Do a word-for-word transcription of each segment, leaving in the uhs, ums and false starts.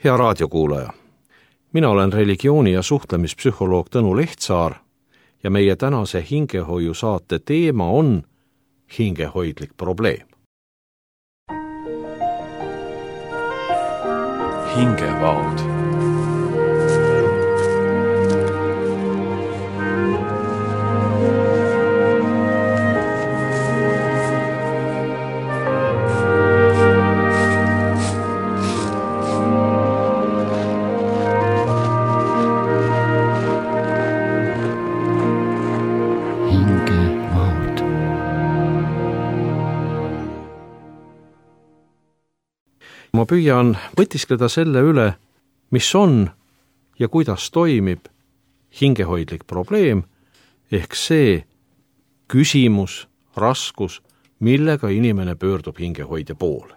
Hea raadiokuulaja, mina olen religiooni- ja suhtlemispsühholoog Tõnu Lehtsaar ja meie tänase hingehoiu saate teema on hingehoidlik probleem. Hingevaod. Ma püüan mõtiskleda selle üle, mis on ja kuidas toimib hingehoidlik probleem, ehk see küsimus, raskus, millega inimene pöördub hingehoidja poole.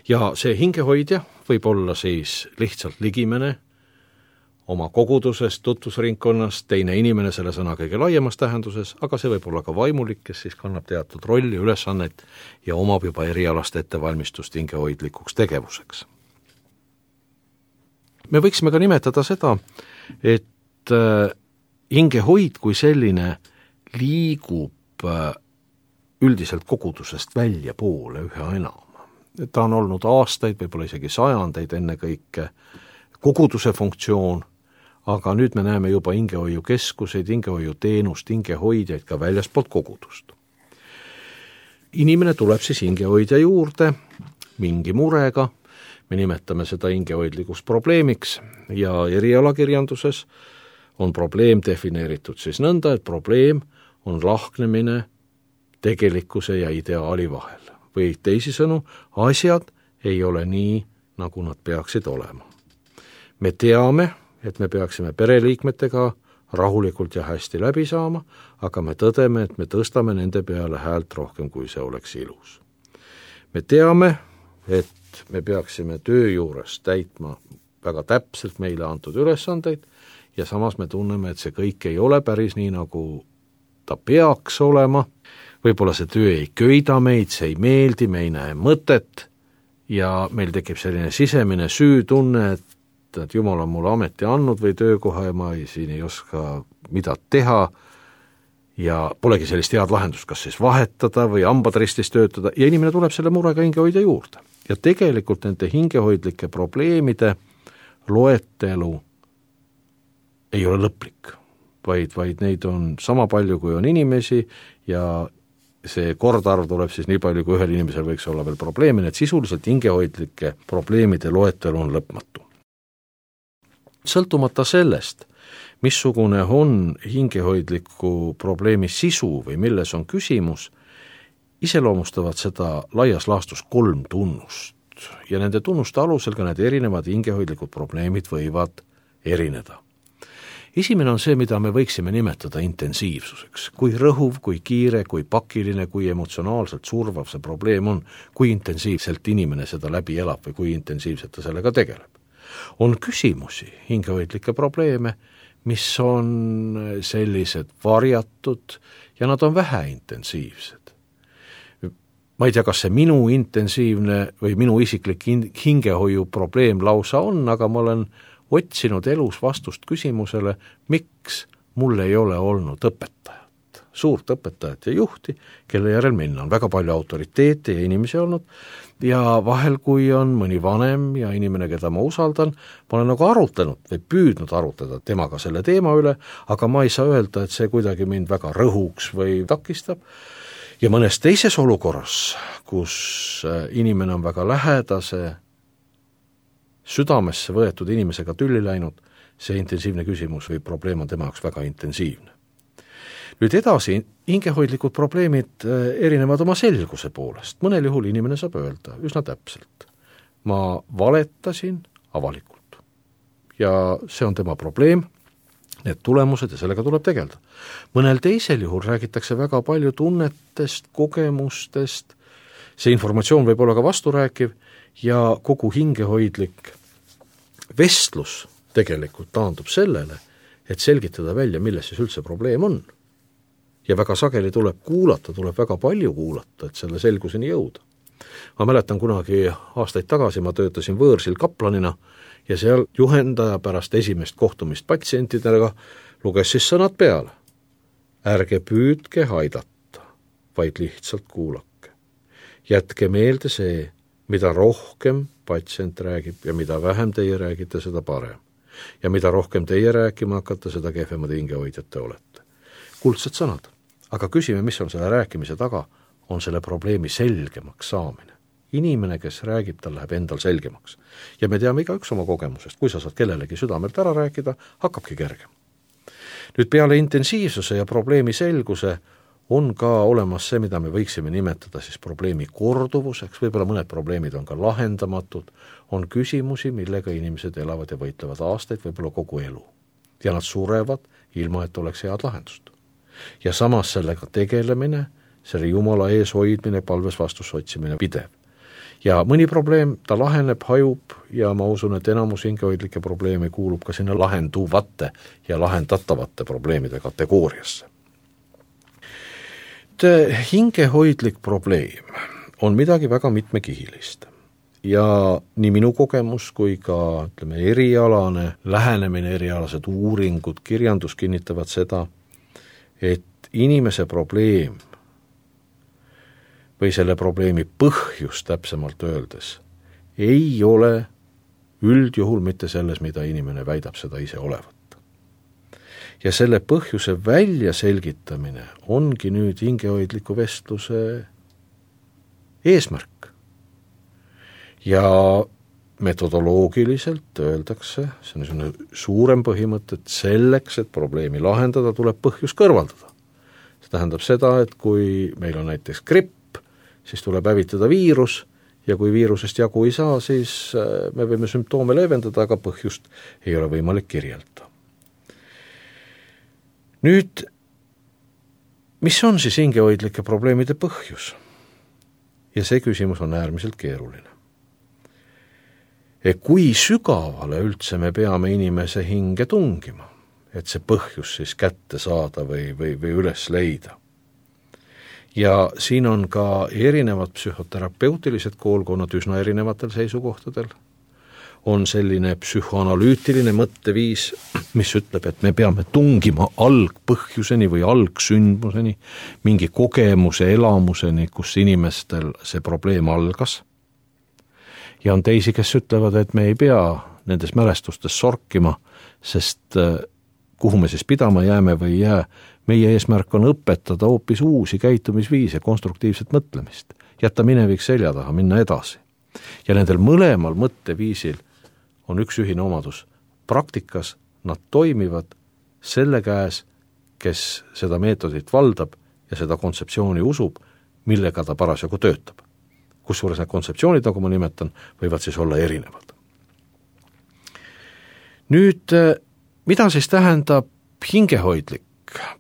Ja see hingehoidja võib olla siis lihtsalt ligimene oma kogudusest, tutvusringkonnast, teine inimene selle sõna kõige laiemas tähenduses, aga see võib olla ka vaimulik, kes siis kannab teatud rolli, ülesannet ja omab juba erialast ettevalmistust hingehoidlikuks tegevuseks. Me võiksime ka nimetada seda, et hingehoid kui selline liigub üldiselt kogudusest välja poole ühe enam. Ta on olnud aastaid, võib-olla isegi sajandeid enne kõike koguduse funktsioon, aga nüüd me näeme juba hingehoiukeskuseid, hingehoiuteenust, hingehoidjaid ka väljaspoolt kogudust. Inimene tuleb siis hingehoidja juurde mingi murega, me nimetame seda hingehoidlikuks probleemiks ja erialakirjanduses on probleem defineeritud siis nõnda, et probleem on lahknemine tegelikkuse ja ideaali vahel. Või teisisõnu, asjad ei ole nii, nagu nad peaksid olema. Me teame, et me peaksime pereliikmetega rahulikult ja hästi läbi saama, aga me tõdeme, et me tõstame nende peale häält rohkem, kui see oleks ilus. Me teame, et me peaksime töö juures täitma väga täpselt meile antud ülesandeid ja samas me tunneme, et see kõik ei ole päris nii, nagu ta peaks olema. Võib-olla see töö ei köida meid, see ei meeldi, me ei näe mõtet ja meil tekib selline sisemine süütunne, et et Jumal on mulle ameti andnud või töökoha ja ma ei, siin ei oska mida teha ja polegi sellist head lahendust, kas siis vahetada või hambad ristis töötada ja inimene tuleb selle murega hingehoidja juurde. Ja tegelikult nende hingehoidlike probleemide loetelu ei ole lõplik, vaid, vaid neid on sama palju, kui on inimesi ja see kordarv tuleb siis nii palju, kui ühel inimesel võiks olla veel probleemi, et sisuliselt hingehoidlike probleemide loetelu on lõpmatu. Sõltumata sellest, missugune on hingehoidliku probleemi sisu või milles on küsimus, iseloomustavad seda laias laastus kolm tunnust ja nende tunnuste alusel ka need erinevad hingehoidlikud probleemid võivad erineda. Esimene on see, mida me võiksime nimetada intensiivsuseks. Kui rõhuv, kui kiire, kui pakiline, kui emotsionaalselt survav see probleem on, kui intensiivselt inimene seda läbi elab või kui intensiivselt ta sellega tegeleb. On küsimusi, hingehoidlikke probleeme, mis on sellised varjatud ja nad on vähe intensiivsed. Ma ei tea, kas see minu intensiivne või minu isiklik hingehoiu probleem lausa on, aga ma olen otsinud elus vastust küsimusele, miks mul ei ole olnud õpetajat, suurt õpetajat ja juhti, kelle järel minna on väga palju autoriteete ja inimesi olnud ja vahel, kui on mõni vanem ja inimene, keda ma usaldan, ma olen nagu arutlenud või püüdnud arutleda temaga selle teema üle, aga ma ei saa öelda, et see kuidagi mind väga rõhuks või takistab. Ja mõnes teises olukorras, kus inimene on väga lähedase, südamesse võetud inimesega tülli läinud, see intensiivne küsimus või probleem on tema jaoks väga intensiivne. Nüüd edasi, hingehoidlikud probleemid erinevad oma selguse poolest. Mõnel juhul inimene saab öelda üsna täpselt. Ma valetasin avalikult. Ja see on tema probleem, need tulemused ja sellega tuleb tegelda. Mõnel teisel juhul räägitakse väga palju tunnetest, kogemustest, see informatsioon võib olla ka vasturääkiv ja kogu hingehoidlik vestlus tegelikult taandub sellele, et selgitada välja, milles siis üldse probleem on. Ja väga sageli tuleb kuulata, tuleb väga palju kuulata, et selle selguseni jõuda. Ma mäletan kunagi aastaid tagasi, ma töötasin võõrsil kaplanina ja seal juhendaja pärast esimest kohtumist patsientidega luges siis sõnad peale. Ärge püüdke aidata, vaid lihtsalt kuulake. Jätke meelde see, mida rohkem patsient räägib ja mida vähem teie räägite, seda parem. Ja mida rohkem teie rääkima hakkate, seda kehvemad hingehoidjad te olete. Kuldsed sõnad, aga küsime, mis on selle rääkimise taga, on selle probleemi selgemaks saamine. Inimene, kes räägib, tal läheb endal selgemaks. Ja me teame igaüks oma kogemusest, kui sa saad kellelegi südamelt ära rääkida, hakkabki kergem. Nüüd peale intensiivsuse ja probleemi selguse on ka olemas see, mida me võiksime nimetada siis probleemi korduvuseks, võib-olla mõned probleemid on ka lahendamatud, on küsimusi, millega inimesed elavad ja võitlevad aastaid, võib-olla kogu elu. Ja nad surevad, ilma et oleks head lahendust. Ja samas sellega tegelemine, selle Jumala ees hoidmine, palves vastus otsimine pidev. Ja mõni probleem, ta laheneb, hajub ja ma usun, et enamus hingehoidlikke probleeme kuulub ka sinna lahenduvate ja lahendatavate probleemide kategooriasse. Hingehoidlik probleem on midagi väga mitmekihilist ja nii minu kogemus kui ka ütleme, erialane lähenemine, erialased uuringud, kirjandus kinnitavad seda, et inimese probleem või selle probleemi põhjus täpsemalt öeldes ei ole üldjuhul mitte selles, mida inimene väidab seda ise olevat. Ja selle põhjuse välja selgitamine ongi nüüd hingehoidliku vestluse eesmärk. Ja metodoloogiliselt öeldakse, see on niisugune suurem põhimõte, et selleks, et probleemi lahendada, tuleb põhjus kõrvaldada. See tähendab seda, et kui meil on näiteks gripp, siis tuleb hävitada viirus ja kui viirusest jagu ei saa, siis me võime sümptoome leevendada, aga põhjust ei ole võimalik kirjeldada. Nüüd, mis on siis hingehoidlike probleemide põhjus? Ja see küsimus on äärmiselt keeruline. Et kui sügavale üldse me peame inimese hinge tungima, et see põhjus siis kätte saada või, või, või üles leida? Ja siin on ka erinevad psühhoterapeutilised koolkonnad üsna erinevatel seisukohtadel. On selline psühhoanalüütiline mõtteviis, mis ütleb, et me peame tungima algpõhjuseni või algsündmuseni, mingi kogemuse, elamuseni, kus inimestel see probleem algas. Ja on teisi, kes ütlevad, et me ei pea nendes mälestustes sorkima, sest kuhu me siis pidama jääme või jää, meie eesmärk on õpetada hoopis uusi käitumisviise, konstruktiivset mõtlemist, jätta minevik selja taha, minna edasi. Ja nendel mõlemal mõtteviisil on üks ühine omadus. Praktikas nad toimivad selle käes, kes seda meetodit valdab ja seda kontseptsiooni usub, millega ta parasjagu töötab. Kusjuures need kontseptsioonid, nagu ma nimetan, võivad siis olla erinevad. Nüüd, mida siis tähendab hingehoidlik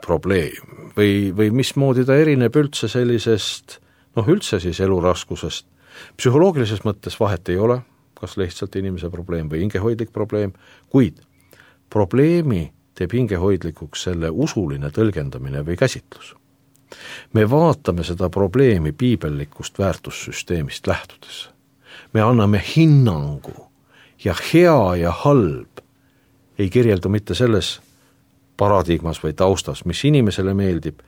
probleem või, või mismoodi ta erineb üldse sellisest, noh üldse siis eluraskusest? Psühholoogilises mõttes vahet ei ole, kas lihtsalt inimese probleem või hingehoidlik probleem, kuid probleemi teeb hingehoidlikuks selle usuline tõlgendamine või käsitlus. Me vaatame seda probleemi piibellikust väärtussüsteemist lähtudes. Me anname hinnangu ja hea ja halb ei kirjeldu mitte selles paradigmas või taustas, mis inimesele meeldib,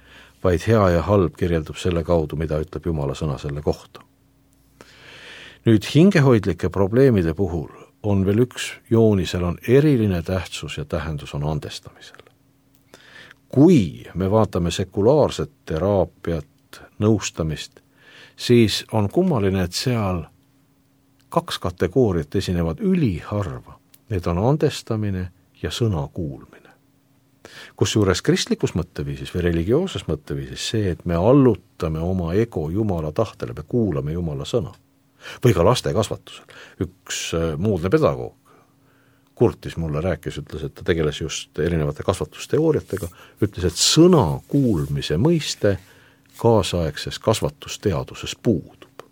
vaid hea ja halb kirjeldub selle kaudu, mida ütleb Jumala sõna selle kohta. Nüüd hingehoidlike probleemide puhul on veel üks joonisel, on eriline tähtsus ja tähendus on andestamisel. Kui me vaatame sekulaarset teraapiat, nõustamist, siis on kummaline, et seal kaks kategooriat esinevad üliharva. Need on andestamine ja sõna kuulmine. Kusjuures kristlikus mõtteviisis või religiooses mõtteviisis see, et me allutame oma ego Jumala tahtele, me kuulame Jumala sõna. Või ka laste kasvatusel. Üks muudne pedagoog kurtis mulle, rääkis, ütles, et ta tegeles just erinevate kasvatusteooriatega, ütles, et sõna kuulmise mõiste kaasaegses kasvatusteaduses puudub.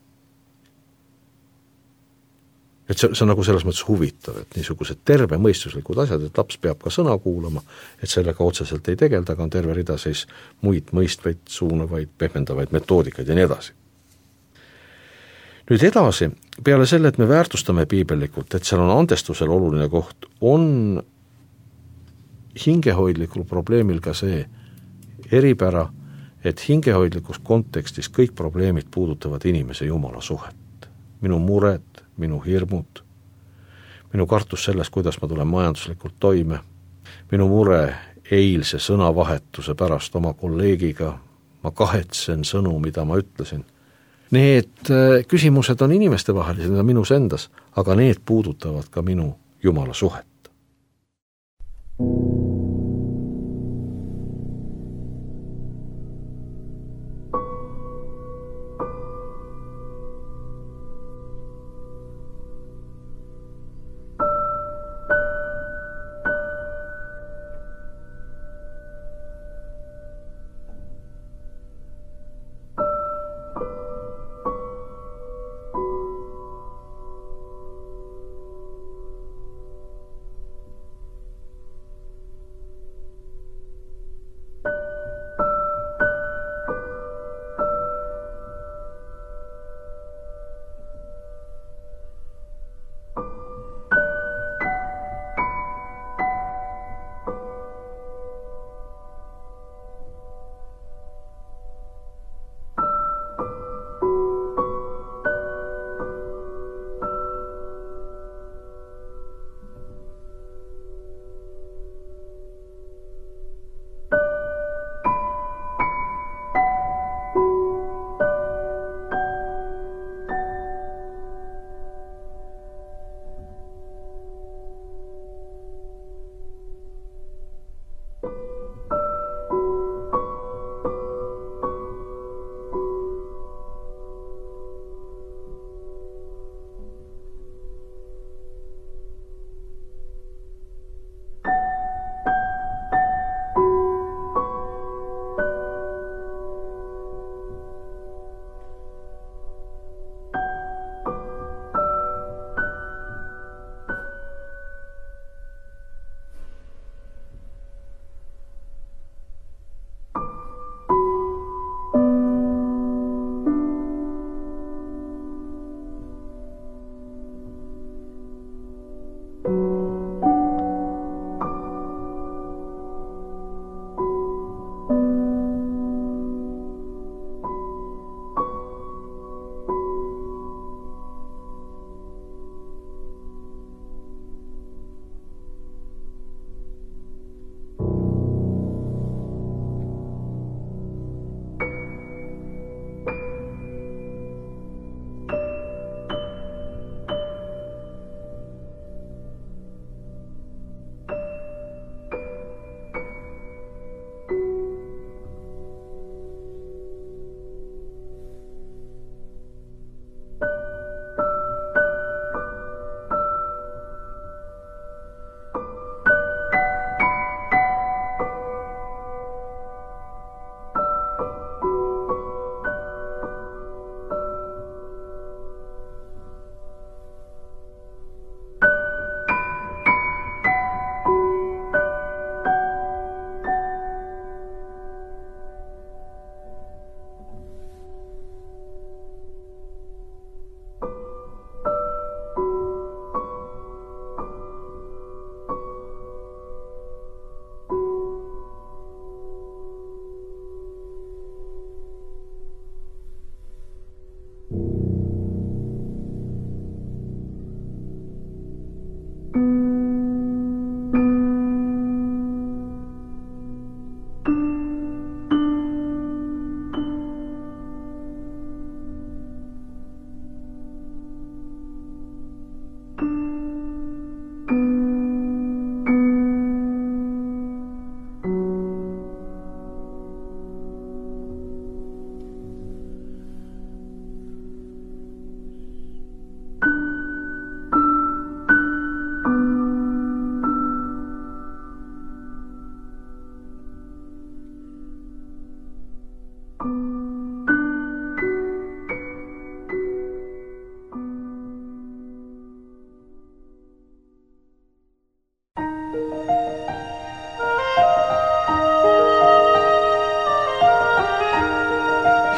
Et see, see on nagu selles mõttes huvitav, et niisugused terve mõistuslikud asjad, et laps peab ka sõna kuulama, et sellega otseselt ei tegelda, aga on terve rida siis muid mõistvaid, suunavaid, pehmendavaid metoodikaid ja nii edasi. Nüüd edasi peale selle, et me väärtustame piibellikult, et seal on andestusel oluline koht, on hingehoidlikul probleemil ka see eripära, et hingehoidlikus kontekstis kõik probleemid puudutavad inimese Jumala suhet. Minu mured, minu hirmud, minu kartus sellest, kuidas ma tulen majanduslikult toime, minu mure eilse sõnavahetuse pärast oma kolleegiga, ma kahetsen sõnu, mida ma ütlesin. Need küsimused on inimestevahelised, need on minus endas, aga need puudutavad ka minu Jumala suhet.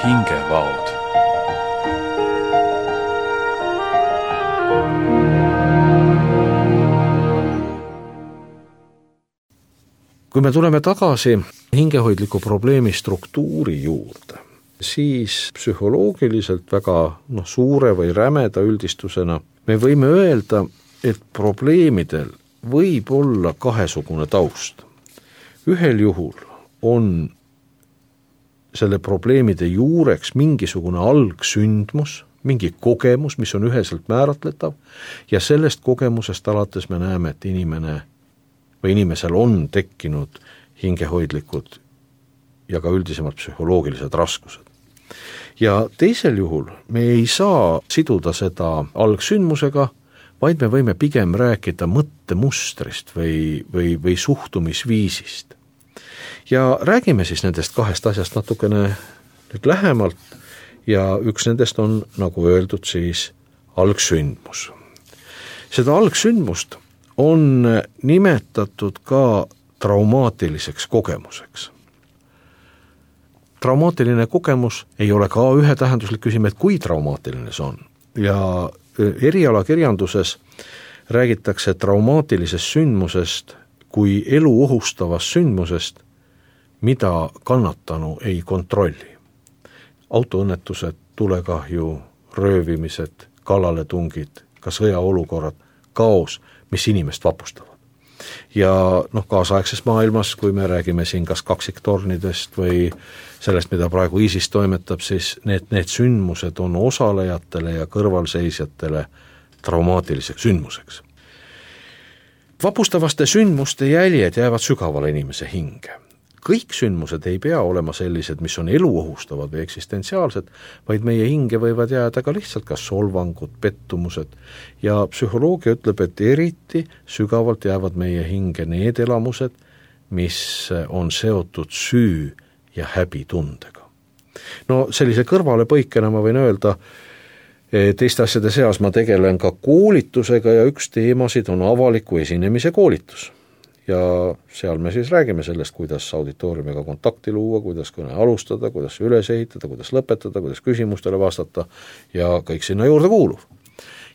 hingevaod. kui me tuleme tagasi hingehoidliku probleemi struktuuri juurde, siis psühholoogiliselt väga noh, suure või rämeda üldistusena me võime öelda, et probleemidel võib olla kahesugune taust. Ühel juhul on selle probleemide juureks mingisugune algsündmus, mingi kogemus, mis on üheselt määratletav ja sellest kogemusest alates me näeme, et inimene või inimesel on tekkinud hingehoidlikud ja ka üldisemalt psühholoogilised raskused. Ja teisel juhul me ei saa siduda seda algsündmusega, vaid me võime pigem rääkida mõttemustrist või, või, või suhtumisviisist. Ja räägime siis nendest kahest asjast natukene nüüd lähemalt ja üks nendest on, nagu öeldud, siis algsündmus. Seda algsündmust on nimetatud ka traumaatiliseks kogemuseks. Traumaatiline kogemus ei ole ka ühetähenduslik küsimus, et kui traumaatiline see on. Ja erialakirjanduses räägitakse traumaatilisest sündmusest kui elu ohustavast sündmusest, mida kannatanu ei kontrolli. Autoõnnetused, tulekahju, röövimised, kallaletungid, ka sõjaolukorrad, kaos, mis inimest vapustavad. Ja noh, kaasaegses maailmas, kui me räägime siin kas kaksiktornidest või sellest, mida praegu ISIS toimetab, siis need, need sündmused on osalejatele ja kõrvalseisjatele traumaatiliseks sündmuseks. Vapustavaste sündmuste jäljed jäävad sügavale inimese hinge. Kõik sündmused ei pea olema sellised, mis on eluohustavad või eksistentsiaalsed, vaid meie hinge võivad jääda ka lihtsalt kas solvangud, pettumused ja psühholoogia ütleb, et eriti sügavalt jäävad meie hinge need elamused, mis on seotud süü ja häbitundega. No sellise kõrvalepõikena ma võin öelda, teiste asjade seas ma tegelen ka koolitusega ja üks teemasid on avaliku esinemise koolitus. Ja seal me siis räägime sellest, kuidas auditooriumiga kontakti luua, kuidas kõne alustada, kuidas üles ehitada, kuidas lõpetada, kuidas küsimustele vastata ja kõik sinna juurde kuuluv.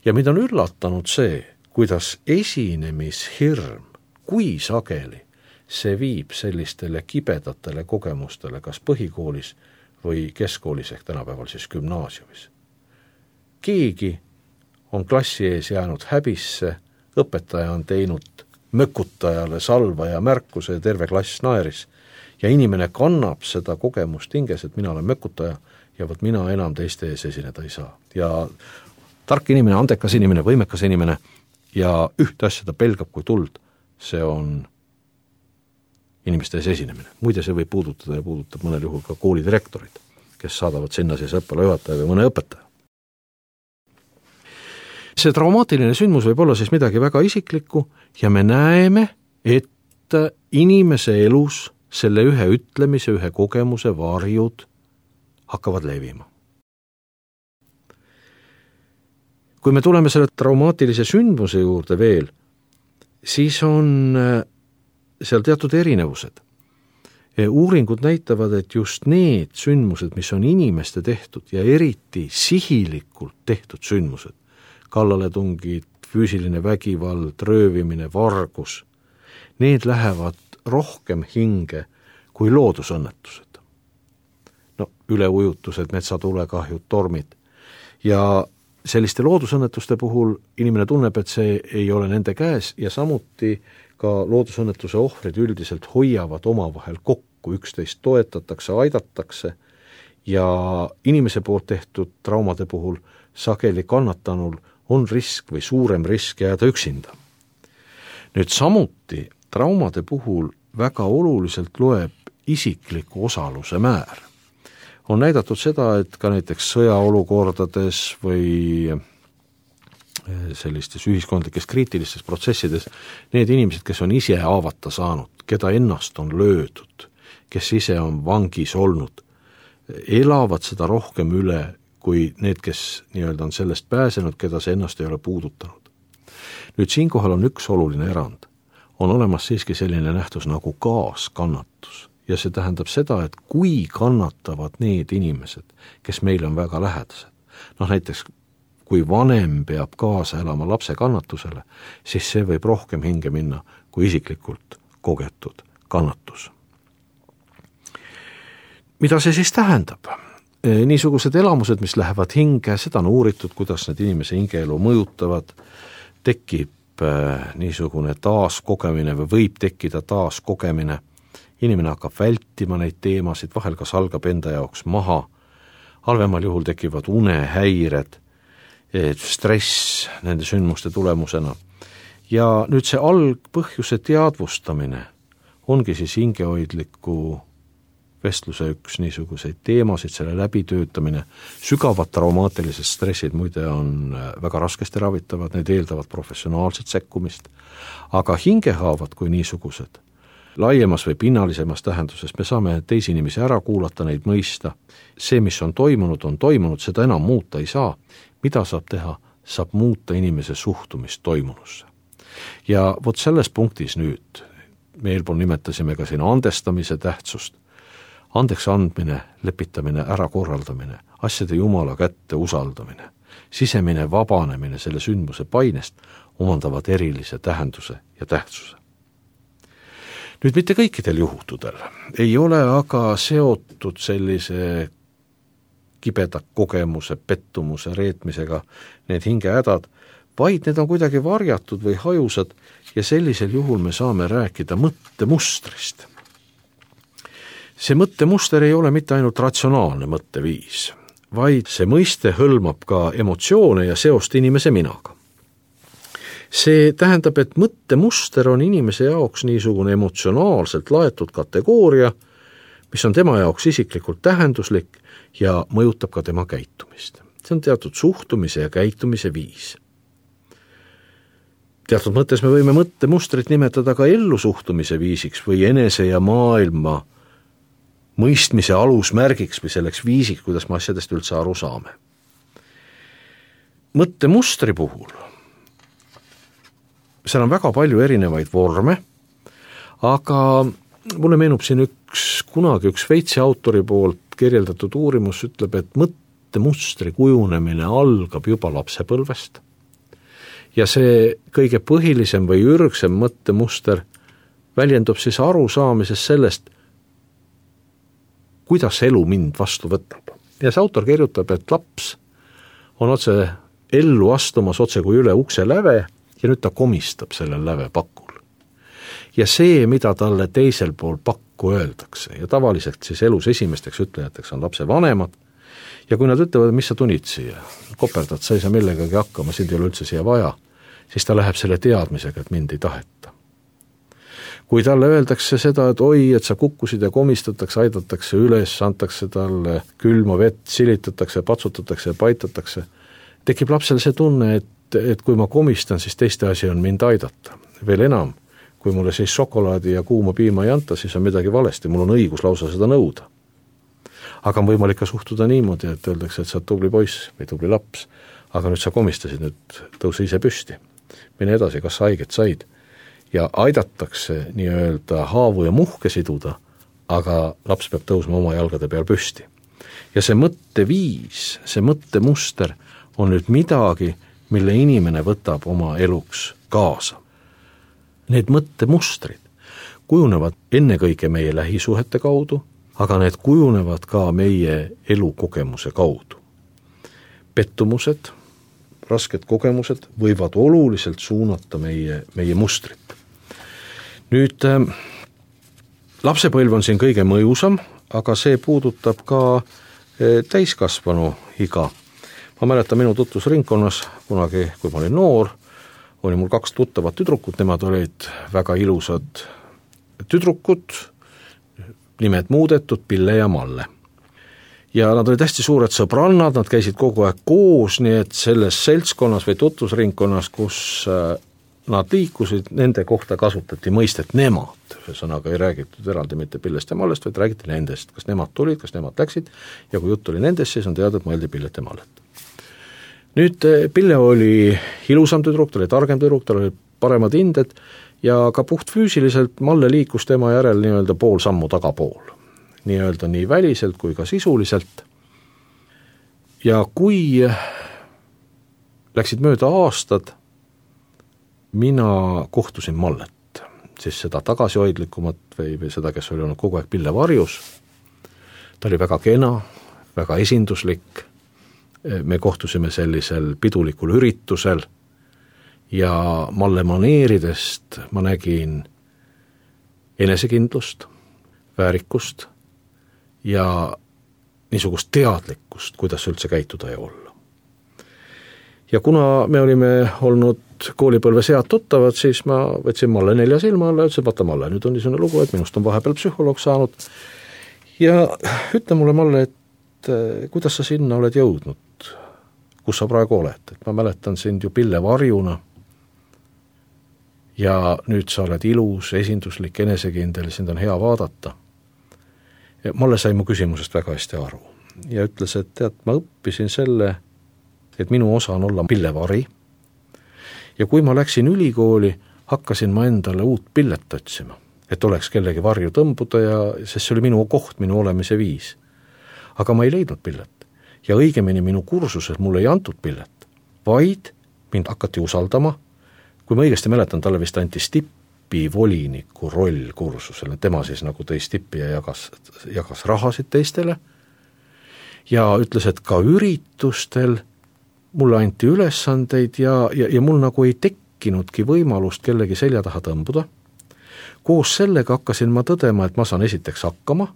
Ja mida on üllatanud see, kuidas esinемishirm, kui sageli see viib sellistele kibedatele kogemustele kas põhikoolis või keskkoolis ehk tänapäeval siis gümnaasiumis. Keegi on klassi ees jäänud häbisse, õpetaja on teinud mökutajale salva ja märkuse ja terve klass naeris. Ja inimene kannab seda kogemust hinges, et mina olen mökutaja ja võt mina enam teiste ees esineda ei saa. Ja tark inimene, andekas inimene, võimekas inimene ja ühte asja ta pelgab kui tuld, see on inimeste ees esinemine. Muide, see võib puudutada ja puudutab mõnel juhul ka koolidirektorid, kes saadavad sinna siis õppealajuhataja või mõne õpetaja. See traumaatiline sündmus võib olla siis midagi väga isiklikku ja me näeme, et inimese elus selle ühe ütlemise, ühe kogemuse varjud hakkavad levima. Kui me tuleme selle traumaatilise sündmuse juurde veel, siis on seal teatud erinevused. Uuringud näitavad, et just need sündmused, mis on inimeste tehtud ja eriti sihilikult tehtud sündmused, kallaletungid, füüsiline vägivald, röövimine, vargus, need lähevad rohkem hinge kui loodusõnnetused. No, üleujutused, metsatulekahjud, tormid. Ja selliste loodusõnnetuste puhul inimene tunneb, et see ei ole nende käes ja samuti ka loodusõnnetuse ohvrid üldiselt hoiavad omavahel kokku, üksteist toetatakse, aidatakse ja inimese poolt tehtud traumade puhul sageli kannatanul on risk või suurem risk jääda üksinda. Nüüd samuti traumade puhul väga oluliselt loeb isikliku osaluse määr. On näidatud seda, et ka näiteks sõjaolukordades või sellistes ühiskondlikes kriitilistes protsessides need inimesed, kes on ise haavata saanud, keda ennast on löödud, kes ise on vangis olnud, elavad seda rohkem üle kui need, kes nii-öelda on sellest pääsenud, keda see ennast ei ole puudutanud. Nüüd siinkohal on üks oluline erand. On olemas siiski selline nähtus nagu kaaskannatus. Ja see tähendab seda, et kui kannatavad need inimesed, kes meile on väga lähedased, noh näiteks kui vanem peab kaasa elama lapse kannatusele, siis see võib rohkem hinge minna kui isiklikult kogetud kannatus. Mida see siis tähendab? Niisugused elamused, mis lähevad hinge, seda on uuritud, kuidas need inimese hingeelu mõjutavad, tekib niisugune taaskogemine või võib tekkida taaskogemine, inimene hakkab vältima neid teemasid, vahel kas algab enda jaoks maha, halvemal juhul tekivad unehäired, stress nende sündmuste tulemusena. Ja nüüd see algpõhjuse teadvustamine ongi siis hingehoidliku vestluse üks niisuguseid teemasid, selle läbitöötamine. Sügavad traumaatilised stressid muide on väga raskesti ravitavad, need eeldavad professionaalset sekkumist, aga hingehaavad kui niisugused, laiemas või pinnalisemas tähenduses me saame teisi inimesi ära kuulata, neid mõista. See, mis on toimunud, on toimunud, seda enam muuta ei saa. Mida saab teha? Saab muuta inimese suhtumist toimunusse. Ja vot selles punktis nüüd, me eelpool nimetasime ka siin andestamise tähtsust, andeks andmine, lepitamine, ära korraldamine, asjade Jumala kätte usaldamine, sisemine vabanemine selle sündmuse painest omandavad erilise tähenduse ja tähtsuse. Nüüd mitte kõikidel juhtudel ei ole aga seotud sellise kibeda kogemuse, pettumuse, reetmisega need hingehädad, vaid need on kuidagi varjatud või hajusad ja sellisel juhul me saame rääkida mõttemustrist. See mõttemuster ei ole mitte ainult ratsionaalne mõtteviis, vaid see mõiste hõlmab ka emotsioone ja seost inimese minaga. See tähendab, et mõttemuster on inimese jaoks niisugune emotsionaalselt laetud kategooria, mis on tema jaoks isiklikult tähenduslik ja mõjutab ka tema käitumist. See on teatud suhtumise ja käitumise viis. Teatud mõttes me võime mõttemustrit nimetada ka ellusuhtumise viisiks või enese ja maailma mõistmise alusmärgiks või selleks viisiks, kuidas me asjadest üldse aru saame. Mõttemustri puhul seal on väga palju erinevaid vorme, aga mulle meenub siin üks, kunagi üks Šveitsi autori poolt kirjeldatud uurimus ütleb, et mõttemustri kujunemine algab juba lapsepõlvest ja see kõige põhilisem või ürgsem mõttemuster väljendub siis arusaamises sellest, kuidas elu mind vastu võtab. Ja see autor kirjutab, et laps on otse ellu astumas otse kui üle ukse läve ja nüüd ta komistab sellel läve pakul. Ja see, mida talle teisel pool pakku öeldakse, ja tavaliselt siis elus esimesteks ütlejateks on lapse vanemad, ja kui nad ütlevad, mis sa tunid siia, koperdad, sa ei saa millegagi hakkama, sind ei ole üldse siia vaja, siis ta läheb selle teadmisega, et mind ei taheta. Kui talle öeldakse seda, et oi, et sa kukkusid ja komistatakse, aidatakse üles, antakse talle külma vett, silitatakse, patsutatakse ja paitatakse, tekib lapsel see tunne, et, et kui ma komistan, siis teiste asi on mind aidata. Veel enam, kui mulle siis šokolaadi ja kuuma piima ei anta, siis on midagi valesti, mul on õigus lausa seda nõuda. Aga on võimalik ka suhtuda niimoodi, et öeldakse, et sa oled tubli poiss või tubli laps, aga nüüd sa komistasid, nüüd tõuse ise püsti. Mine edasi, kas sa haiget said? Ja aidatakse nii-öelda haavu ja muhke siduda, aga laps peab tõusma oma jalgade peal püsti. Ja see mõtteviis, see mõttemuster on nüüd midagi, mille inimene võtab oma eluks kaasa. Need mõttemustrid kujunevad ennekõike meie lähisuhete kaudu, aga need kujunevad ka meie elukogemuse kaudu. Pettumused, rasked kogemused võivad oluliselt suunata meie, meie mustrit. Nüüd, äh, lapsepõlv on siin kõige mõjusam, aga see puudutab ka äh, täiskasvanu iga. Ma mäletan minu tutvusringkonnas, kunagi, kui ma olin noor, oli mul kaks tuttavat tüdrukut, nemad olid väga ilusad tüdrukud, nimed muudetud, Pille ja Malle. Ja nad olid hästi suured sõbrannad, nad käisid kogu aeg koos, nii et selles seltskonnas või tutvusringkonnas, kus äh, nad liikusid, nende kohta kasutati mõistet nemad. Ühesõnaga ei räägitud eraldi mitte Pillest ja Mallest, vaid räägiti nendest, kas nemad tulid, kas nemad läksid, ja kui jutt oli nendest, siis on teada, et mõeldi Pillet ja Mallet. Nüüd Pille oli ilusam tüdruk, ta oli targem tüdruk, tal oli paremad hinded ja ka puht füüsiliselt Malle liikus tema järel nii-öelda pool sammu tagapool. Nii-öelda nii väliselt kui ka sisuliselt. Ja kui läksid mööda aastad, mina kohtusin Mallet. siis seda tagasihoidlikumat või, või seda, kes oli olnud kogu aeg Pille varjus. Ta oli väga kena, väga esinduslik, me kohtusime sellisel pidulikul üritusel ja Malle maneeridest ma nägin enesekindlust, väärikust ja niisugust teadlikkust, kuidas üldse käituda ja olla. Ja kuna me olime olnud koolipõlves head tuttavad, siis ma võtsin Malle nelja silma alla ja ütlesin, vaata Malle, nüüd on niisugune lugu, et minust on vahepeal psühholoog saanud ja ütle mulle, Malle, et kuidas sa sinna oled jõudnud, kus sa praegu oled, et ma mäletan sind ju Pille varjuna ja nüüd sa oled ilus, esinduslik, enesekindel, sind on hea vaadata. Ja Malle sai mu küsimusest väga hästi aru ja ütles, et tead, ma õppisin selle, et minu osa on olla Pillevari ja kui ma läksin ülikooli, hakkasin ma endale uut pillet otsima, et oleks kellegi varju tõmbuda ja sest see oli minu koht, minu olemise viis. Aga ma ei leidnud pillet ja õigemini minu kursuses mulle ei antud pillet, vaid mind hakati usaldama, kui ma õigesti mäletan, talle vist anti Stippi voliniku roll kursusele, tema siis nagu tõi Stippi ja jagas, jagas rahasid teistele ja ütles, et ka üritustel mulle anti ülesandeid ja, ja, ja mul nagu ei tekkinudki võimalust kellegi selja taha tõmbuda. Koos sellega hakkasin ma tõdema, et ma saan esiteks hakkama,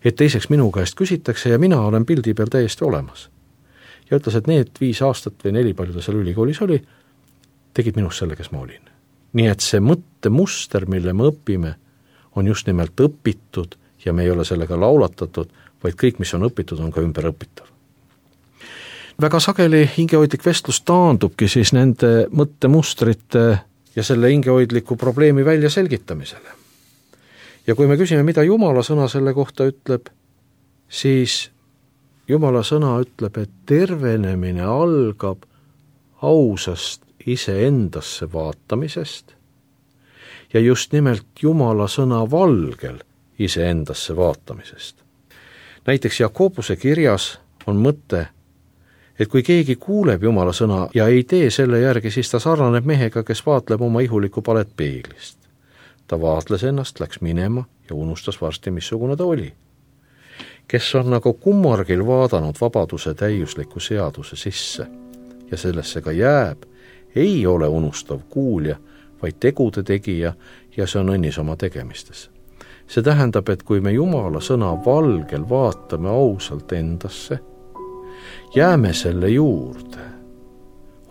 et teiseks minu käest küsitakse ja mina olen pildi peal täiesti olemas. Ja ütles, et need viis aastat või neli palju ta seal ülikoolis oli, tegid minust selle, kes ma olin. Nii et see mõttemuster, mille me õpime, on just nimelt õpitud ja me ei ole sellega laulatatud, vaid kõik, mis on õpitud, on ka ümber õpitav. Väga sageli hingehoidlik vestlus taandubki siis nende mõttemustrite ja selle hingehoidliku probleemi välja selgitamisele. Ja kui me küsime, mida Jumala sõna selle kohta ütleb, siis Jumala sõna ütleb, et tervenemine algab ausast iseendasse vaatamisest ja just nimelt Jumala sõna valgel iseendasse vaatamisest. Näiteks Jakobuse kirjas on mõte, et kui keegi kuuleb Jumala sõna ja ei tee selle järgi, siis ta sarnaneb mehega, kes vaatleb oma ihulikku palet peeglist. Ta vaatles ennast, läks minema ja unustas varsti, missugune ta oli. Kes on nagu kummargil vaadanud vabaduse täiusliku seaduse sisse ja sellesse ka jääb, ei ole unustav kuulja, vaid tegude tegija ja see on õnnis oma tegemistes. See tähendab, et kui me Jumala sõna valgel vaatame ausalt endasse, jääme selle juurde,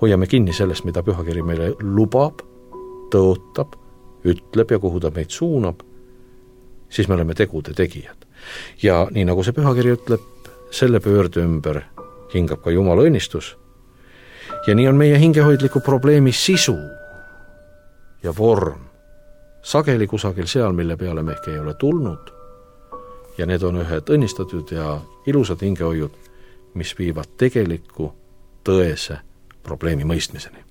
hoiame kinni sellest, mida pühakiri meile lubab, tõotab, ütleb ja kuhu ta meid suunab, siis me oleme tegude tegijad. Ja nii nagu see pühakiri ütleb, selle pöörde ümber hingab ka Jumala õnnistus. Ja nii on meie hingehoidliku probleemi sisu ja vorm sageli kusagil seal, mille peale me ehk ei ole tulnud. Ja need on ühed õnnistatud ja ilusad hingehoiud, mis viivad tegeliku tõese probleemi mõistmiseni.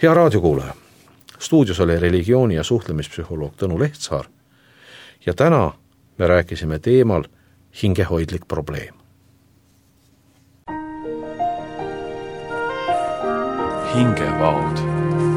hea raadiokuulaja, stuudios oli religiooni- ja suhtlemispsühholoog Tõnu Lehtsaar ja täna me rääkisime teemal hingehoidlik probleem. hingevaod.